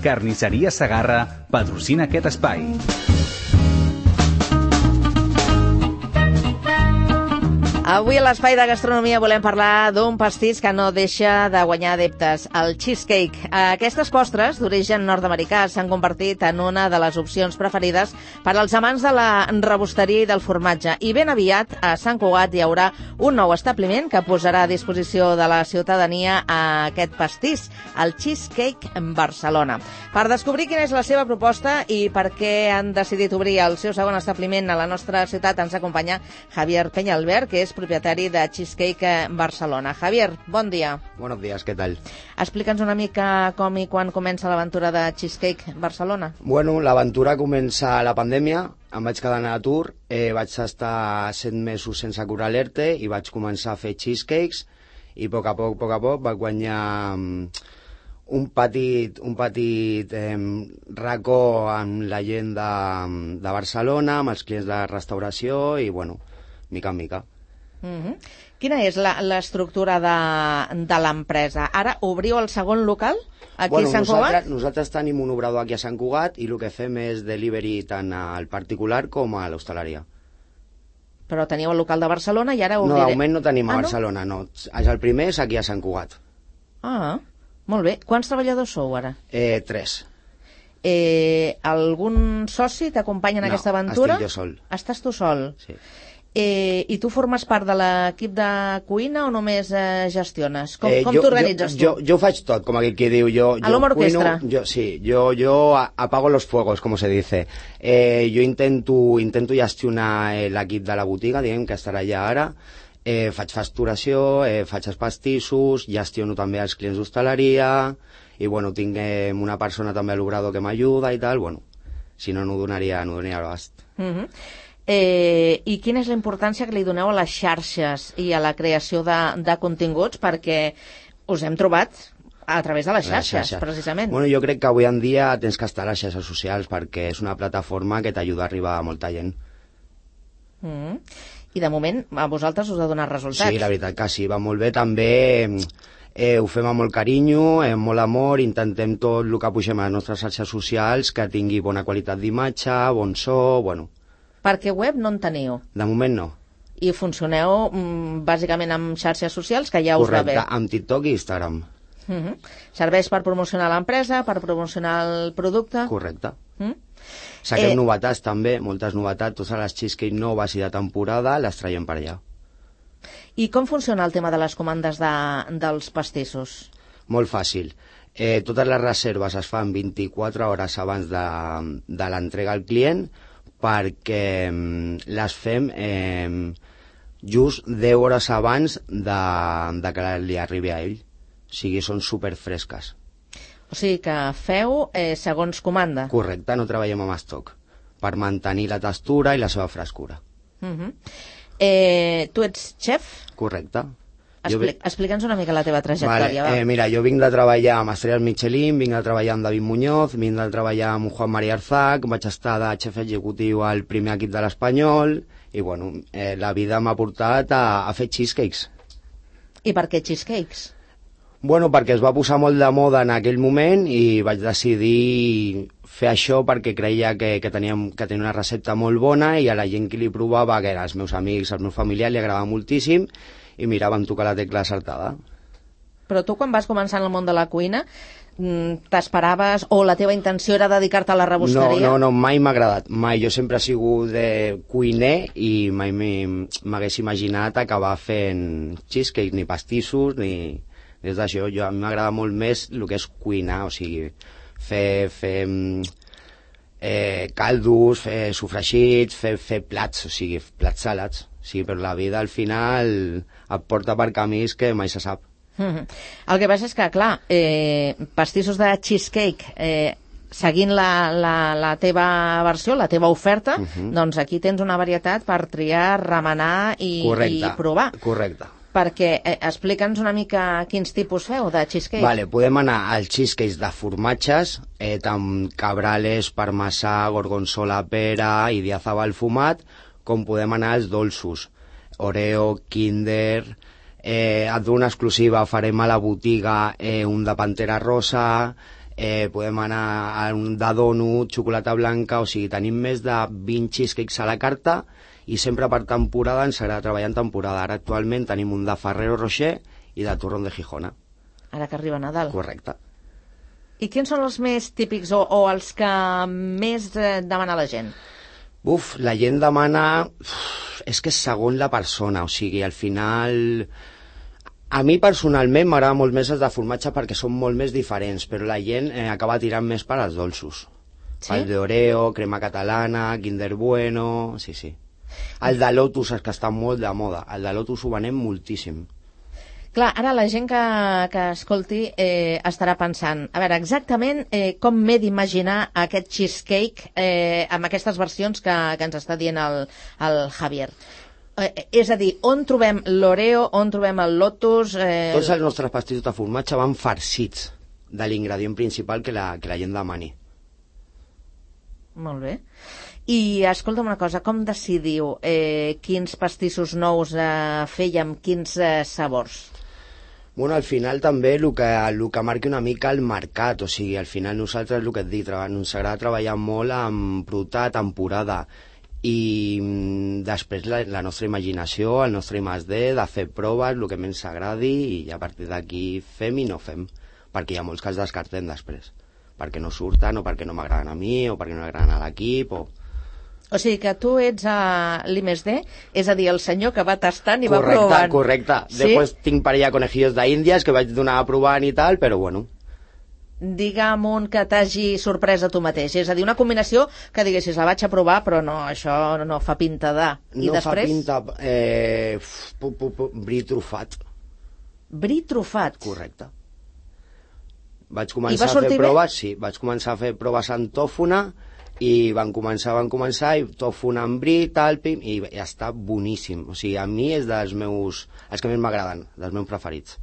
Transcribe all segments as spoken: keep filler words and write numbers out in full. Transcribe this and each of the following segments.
Carnisseria Segarra patrocina aquest espai. Avui a l'Espai de Gastronomia volem parlar d'un pastís que no deixa de guanyar adeptes, el cheesecake. Aquestes postres, d'origen nord-americà, s'han convertit en una de les opcions preferides per als amants de la rebosteria i del formatge. I ben aviat, a Sant Cugat hi haurà un nou establiment que posarà a disposició de la ciutadania aquest pastís, el Cheesecake Barcelona. Per descobrir quina és la seva proposta i per què han decidit obrir el seu segon establiment a la nostra ciutat, ens acompanya Javier Peñalver, que és propietari de Cheesecake Barcelona. Javier, bon dia. Buenos días, ¿qué tal? Explica'ns una mica com i quan comença l'aventura de Cheesecake Barcelona. Bueno, l'aventura comença a la pandèmia, em vaig quedar en atur, eh, vaig estar set mesos sense cobrar l'E R T E i vaig començar a fer cheesecakes i a poc a poc, a poc a poc, vaig guanyar un petit, un petit eh, racó amb la gent de, de Barcelona, amb els clients de restauració i, bueno, mica en mica. Uh-huh. Quina és l'estructura de, de l'empresa? Ara obriu el segon local aquí bueno, a Sant Cugat? Nosaltres, nosaltres tenim un obrador aquí a Sant Cugat i el que fem és delivery tant al particular com a l'hostaleria. Però teniu el local de Barcelona i ara No, obriré... de moment no tenim a ah, Barcelona, no? no. El primer és aquí a Sant Cugat. Ah, molt bé. Quants treballadors sou ara? Eh, tres. Eh, algun soci t'acompanya en no, aquesta aventura? estic jo sol. Estàs tu sol? Sí. Eh, I tu formes part de l'equip de cuina o només eh, gestiones? Com, eh, com t'organitzes tu? Jo, jo faig tot, com aquell que diu. Jo, a l'home orquestra? Yo, sí, yo, yo apago los fuegos, como se dice. Eh, jo intento, intento gestionar eh, l'equip de la botiga, diguem que estarà allà ara. Eh, faig facturació, eh, faig els pastissos, gestiono també els clients d'hostaleria i bueno, tinc eh, una persona també a l'obrador que m'ajuda i tal, bueno, si no, no donaria, no donaria l'abast. Uh-huh. Eh, I quina és la importància que li doneu a les xarxes i a la creació de, de continguts, perquè us hem trobat a través de les xarxes, les xarxes, precisament. Bueno, jo crec que avui en dia tens que estar a les xarxes socials perquè és una plataforma que t'ajuda a arribar a molta gent. Mm. I de moment a vosaltres us ha donat resultats. Sí, la veritat que sí, va molt bé. També eh, ho fem amb molt carinyo, amb molt amor, intentem tot el que pugem a les nostres xarxes socials que tingui bona qualitat d'imatge, bon so, bueno... Perquè web no en teniu? De moment no. I funcioneu mm, bàsicament amb xarxes socials, que ja us Correcte, va bé? Correcte, amb TikTok i Instagram. Uh-huh. Serveix per promocionar l'empresa, per promocionar el producte? Correcte. Mm? Saquem eh... novetats també, moltes novetats, totes les cheesecake noves i de temporada les traiem per allà. I com funciona el tema de les comandes de, dels pastissos? Molt fàcil. Eh, totes les reserves es fan vint-i-quatre hores abans de, de l'entrega al client, perquè les fem eh, just deu hores abans de, de que li arribi a ell. O sigui, són superfresques. O sigui que feu eh, segons comanda. Correcte, no treballem amb estoc, per mantenir la textura i la seva frescura. Uh-huh. eh, tu ets xef? Correcte. Expli Explica'ns una mica la teva trajectòria. Vale, eh, mira, jo vinc de treballar amb Estrelles Michelin, vinc de treballar amb David Muñoz, vinc de treballar amb Juan María Arzac, vaig estar de xef executiu al primer equip de l'Espanyol, i bueno, eh, la vida m'ha portat a, a fer cheesecakes. I per què cheesecakes? Bueno, perquè es va posar molt de moda en aquell moment i vaig decidir fer això perquè creia que, que, teníem, que tenia una recepta molt bona i a la gent que li provava, que eren els meus amics, els meus familiars, li agradava moltíssim, i mira, vam tocar la tecla acertada. Però tu, quan vas començar en el món de la cuina, t'esperaves o la teva intenció era dedicar-te a la rebosteria? No, no, no, mai m'ha agradat, mai. Jo sempre he sigut de cuiner i mai m'hagués imaginat acabar fent cheesecake, ni pastissos, ni des d'això. Jo, a mi m'agrada molt més el que és cuinar, o sigui, fer, fer eh, caldos, fer sofregits, fer, fer plats, o sigui, plats salats. Sí, però la vida al final et porta per camins que mai se sap. Mm-hmm. El que passa és que, clar, eh, pastissos de cheesecake, eh, seguint la, la, la teva versió, la teva oferta, uh-huh. doncs aquí tens una varietat per triar, remenar i, correcte, i provar. Correcte. Perquè, eh, explica'ns una mica quins tipus feu de cheesecake. Vale, podem anar als cheesecakes de formatges, eh, amb cabrales, parmesà, gorgonzola, pera i diazabal fumat, com podem anar als dolços, Oreo, Kinder, eh, et dono una exclusiva, farem a la botiga eh, un de Pantera Rosa, eh, podem anar a un de donut, xocolata blanca, o sigui, tenim més de vint cheesecakes a la carta i sempre per temporada ens agrada treballar en temporada. Ara actualment tenim un de Ferrero Rocher i de Turrón de Gijona. Ara que arriba Nadal. Correcte. I quins són els més típics o, o els que més eh, demana la gent? Uf, la gent demana... Uf, és que és segons la persona, o sigui, al final... A mi personalment m'agrada molt més els de formatge perquè són molt més diferents, però la gent eh, acaba tirant més per als dolços. Sí? El d'Oreo, crema catalana, Kinder Bueno... Sí, sí. El de Lotus és que està molt de moda. El de Lotus ho venem moltíssim. Clar, ara la gent que, que escolti eh, estarà pensant, a veure, exactament eh, com m'he d'imaginar aquest cheesecake eh, amb aquestes versions que, que ens està dient el, el Javier. Eh, és a dir, on trobem l'Oreo, on trobem el Lotus... Eh... Tots els nostres pastissos de formatge van farcits de l'ingredient principal que la, que la gent demani. Molt bé. I escolta'm una cosa, com decidiu eh, quins pastissos nous eh, fer i amb quins eh, sabors? Bueno, al final també el que, el que marqui una mica el mercat, o sigui, al final nosaltres, el que et dic, ens agrada treballar molt amb producte de temporada i mm, després la, la nostra imaginació, el nostre I més D, de fer proves, el que més ens agradi i a partir d'aquí fem i no fem, perquè hi ha molts que els descartem després, perquè no surten o perquè no m'agraden a mi o perquè no agraden a l'equip o... O sigui que tu ets a l'I més D, és a dir, el senyor que va tastant i correcte, va provant. Correcte, correcte. ¿Sí? Després tinc parella conejillos d'Índies que vaig donar a provant i tal, però bueno. Digue'm un que t'hagi sorprès a tu mateix. És a dir, una combinació que diguessis, la vaig a provar, però no, això no fa pinta de... I no després? fa pinta... Eh, pu, pu, pu, bri trufat. Bri trufat? Correcte. Vaig començar a fer proves, bé? Sí, vaig començar a fer proves en tòfona i van començar, van començar, i tòfona amb bri, tal, pim, i ja està boníssim. O sigui, a mi és dels meus... els que més m'agraden, dels meus preferits.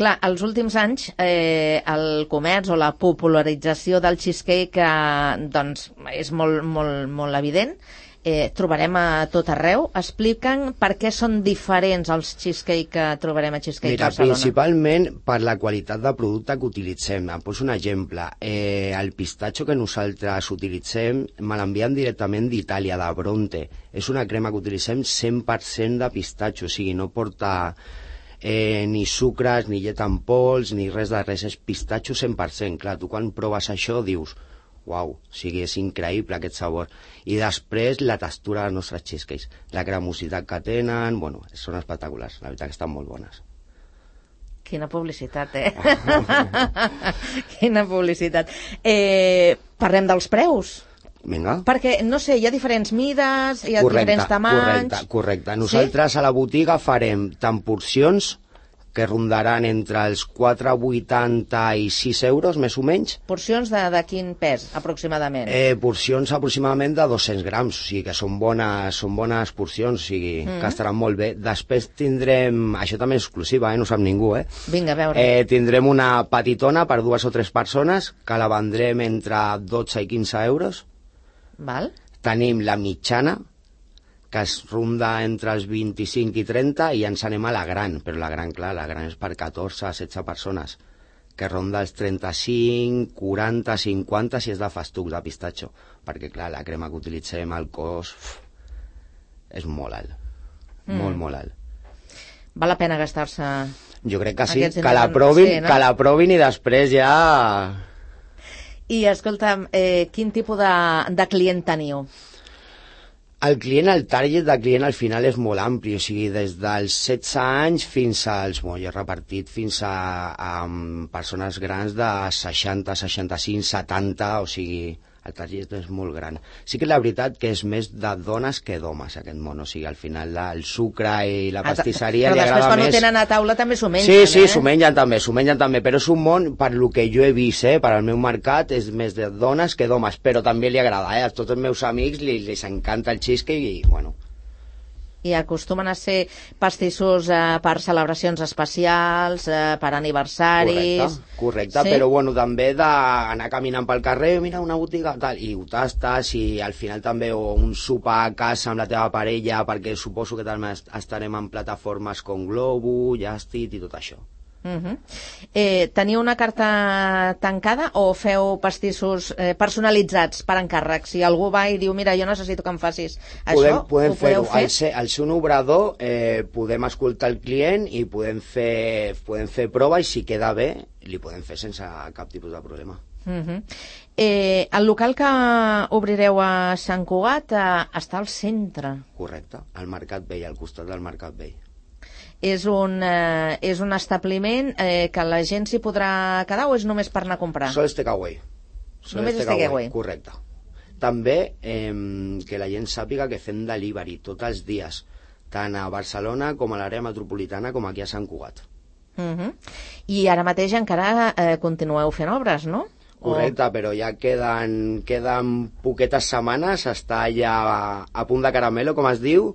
Clar, als últims anys eh, el comerç o la popularització del cheesecake eh, doncs és molt, molt, molt evident. Eh, trobarem a tot arreu. Expliquen per què són diferents els cheesecake que trobarem a Cheesecake Mira, Barcelona. Principalment per la qualitat de producte que utilitzem. Em poso un exemple. Eh, el pistatxo que nosaltres utilitzem me l'envien directament d'Itàlia, de Bronte. És una crema que utilitzem cent per cent de pistatxo, o sigui, no porta eh, ni sucres, ni llet en pols, ni res de res, és pistatxo cent per cent. Clar, tu quan proves això dius... Uau, o sigui, és increïble aquest sabor. I després la textura dels nostres cheesecakes, la cremositat que tenen, bueno, són espectaculars, la veritat que estan molt bones. Quina publicitat, eh? Quina publicitat. Eh, parlem dels preus. Vinga. Perquè, no sé, hi ha diferents mides, hi ha correcte, diferents tamanys... Correcte, correcte. Nosaltres sí? A la botiga farem tant porcions que rondaran entre els quatre coma vuitanta i sis euros, més o menys. Porcions de, de quin pes, aproximadament? Eh, porcions aproximadament de dos-cents grams, o sigui que són bones, són bones porcions, o sigui mm. que estaran molt bé. Després tindrem, això també és exclusiva, eh? No sap ningú, eh? Vinga, a veure. Eh, tindrem una petitona per dues o tres persones, que la vendrem entre dotze i quinze euros. Val. Tenim la mitjana, que es ronda entre els vint-i-cinc i trenta, i ens anem a la gran, però la gran, clar, la gran és per catorze a setze persones, que ronda els trenta-cinc, quaranta, cinquanta si és de festuc de pistatxo, perquè, clar, la crema que utilitzem, el cost, uf, és molt alt, mm. molt, molt alt. Val la pena gastar-se... Jo crec que sí, que la provin, sí, no? que la provin i després ja... I, escolta'm, eh, quin tipus de, de client teniu? El client, el target de client al final és molt ampli, o sigui, des dels setze anys fins als, bueno, jo he repartit fins a, a, a persones grans de seixanta, seixanta-cinc, setanta, o sigui, el target és molt gran. Sí que la veritat que és més de dones que d'homes, aquest món, o sigui, al final el sucre i la pastisseria li agrada més... Però després quan ho tenen a taula també s'ho mengen, sí, sí, eh? s'ho mengen també, s'ho mengen també, però és un món, per lo que jo he vist, eh, per al meu mercat, és més de dones que d'homes, però també li agrada, eh? A tots els meus amics li, li encanta el cheesecake i, bueno... I acostumen a ser pastissos eh, per celebracions especials, eh, per aniversaris... Correcte, correcte, sí? Però bueno, també d'anar caminant pel carrer, mira una botiga, tal, i ho tastes, i al final també o un sopar a casa amb la teva parella, perquè suposo que també estarem en plataformes com Globo, Just Eat i tot això. Uh-huh. eh, teniu una carta tancada o feu pastissos eh, personalitzats per encàrrec? Si algú va i diu, mira, jo necessito que em facis podem, això, podem ho podeu fer? Al ser, al ser un obrador eh, podem escoltar el client i podem fer, podem fer prova i si queda bé li podem fer sense cap tipus de problema. Uh-huh. eh, el local que obrireu a Sant Cugat eh, està al centre. Correcte, al Mercat Vell, al costat del Mercat Vell. És un, eh, és un establiment eh, que la gent s'hi podrà quedar o és només per anar a comprar? Sol és takeaway. Només és takeaway. Correcte. També eh, que la gent sàpiga que fem delivery tots els dies, tant a Barcelona com a l'àrea metropolitana com aquí a Sant Cugat. Uh-huh. I ara mateix encara eh, continueu fent obres, no? Correcte, però ja queden, queden poquetes setmanes, està ja a, a punt de caramelo, com es diu,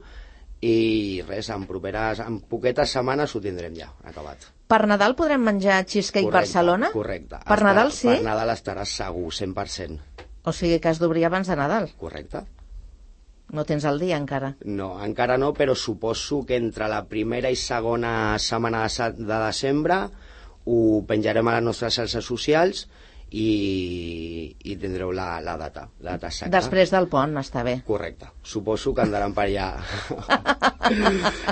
i res, en properes, en poquetes setmanes ho tindrem ja acabat. Per Nadal podrem menjar cheesecake Correcte, Barcelona? Correcte. Per Estarà, Nadal sí? Per Nadal estaràs segur, cent per cent. O sigui que has d'obrir abans de Nadal? Correcte. No tens el dia encara? No, encara no, però suposo que entre la primera i segona setmana de, de desembre ho penjarem a les nostres xarxes socials i, i tindreu la, la data, la data exacta. Després del pont, està bé. Correcte. Suposo que andaran per allà.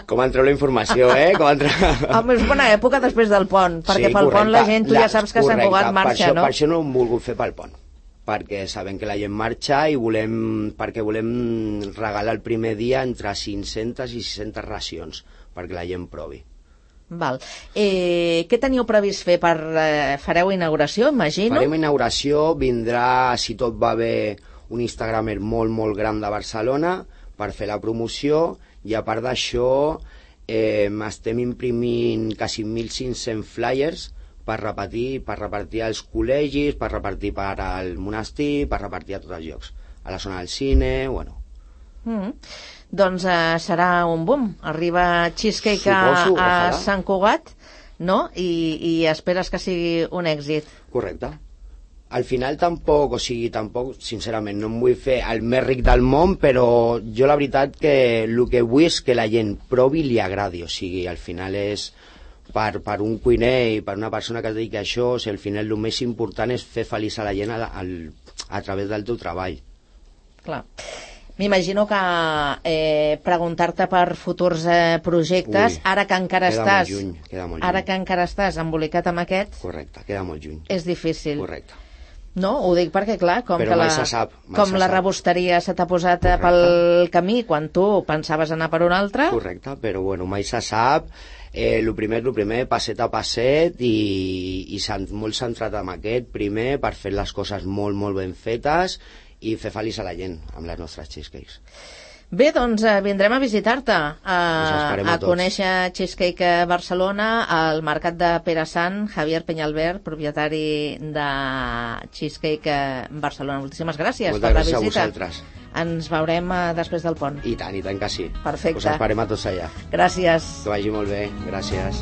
Com entreu la informació, eh? Com entreu... Home, és bona època després del pont, perquè sí, pel correcte. pont la gent, tu ja saps que Sant Cugat marxa, per això, no? Per això no ho hem volgut fer pel pont, perquè sabem que la gent marxa i volem, perquè volem regalar el primer dia entre cinc-centes i sis-centes racions, perquè la gent provi. Val. Eh, què teníeu previst fer? Per, eh, fareu inauguració, imagino? Farem inauguració, vindrà, si tot va bé, un instagramer molt, molt gran de Barcelona per fer la promoció i a part d'això eh, estem imprimint quasi mil cinc-cents flyers per repartir, per repartir als col·legis, per repartir per al monestir, per repartir a tots els llocs. A la zona del cine, bueno... Mm. Doncs eh, serà un boom. Arriba cheesecake Suposo, a, a ojalà. Sant Cugat, no? I, I esperes que sigui un èxit. Correcte. Al final tampoc, o sigui, tampoc, sincerament, no em vull fer el més ric del món, però jo la veritat que el que vull és que la gent provi i li agradi, o sigui, al final és per, per un cuiner i per una persona que es dedica a això, o sigui, al final el més important és fer feliç a la gent a, a, a través del teu treball. Clar. M'imagino que eh, preguntar-te per futurs eh, projectes, Ui, ara que encara queda estàs molt lluny, queda molt lluny. ara que encara estàs embolicat amb aquest, Correcte, queda molt lluny. és difícil. Correcte. No, ho dic perquè, clar, com, Però que mai la, se sap, mai com se la sap. rebosteria se t'ha posat eh, Correcte. pel camí quan tu pensaves anar per un altre. Correcte, però bueno, mai se sap. Eh, el primer, el primer, passet a passet i, i cent, molt centrat en aquest primer per fer les coses molt, molt ben fetes i fer feliç a la gent amb les nostres cheesecakes. Bé, doncs eh, vindrem a visitar-te, a, a, a conèixer Cheesecake Barcelona, al mercat de Pere Sant, Javier Peñalver, propietari de Cheesecake Barcelona. Moltíssimes gràcies Moltes per la gràcies visita. a vosaltres. Ens veurem eh, després del pont. I tant, i tant que sí. Perfecte. Us esperem a tots allà. Gràcies. Que vagi molt bé. Gràcies.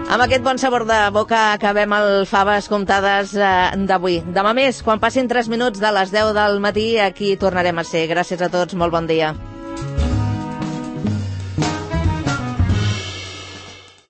Amb aquest bon sabor de boca acabem el Faves Comptades eh, d'avui. Demà més, quan passin tres minuts de les deu del matí, aquí tornarem a ser. Gràcies a tots, molt bon dia.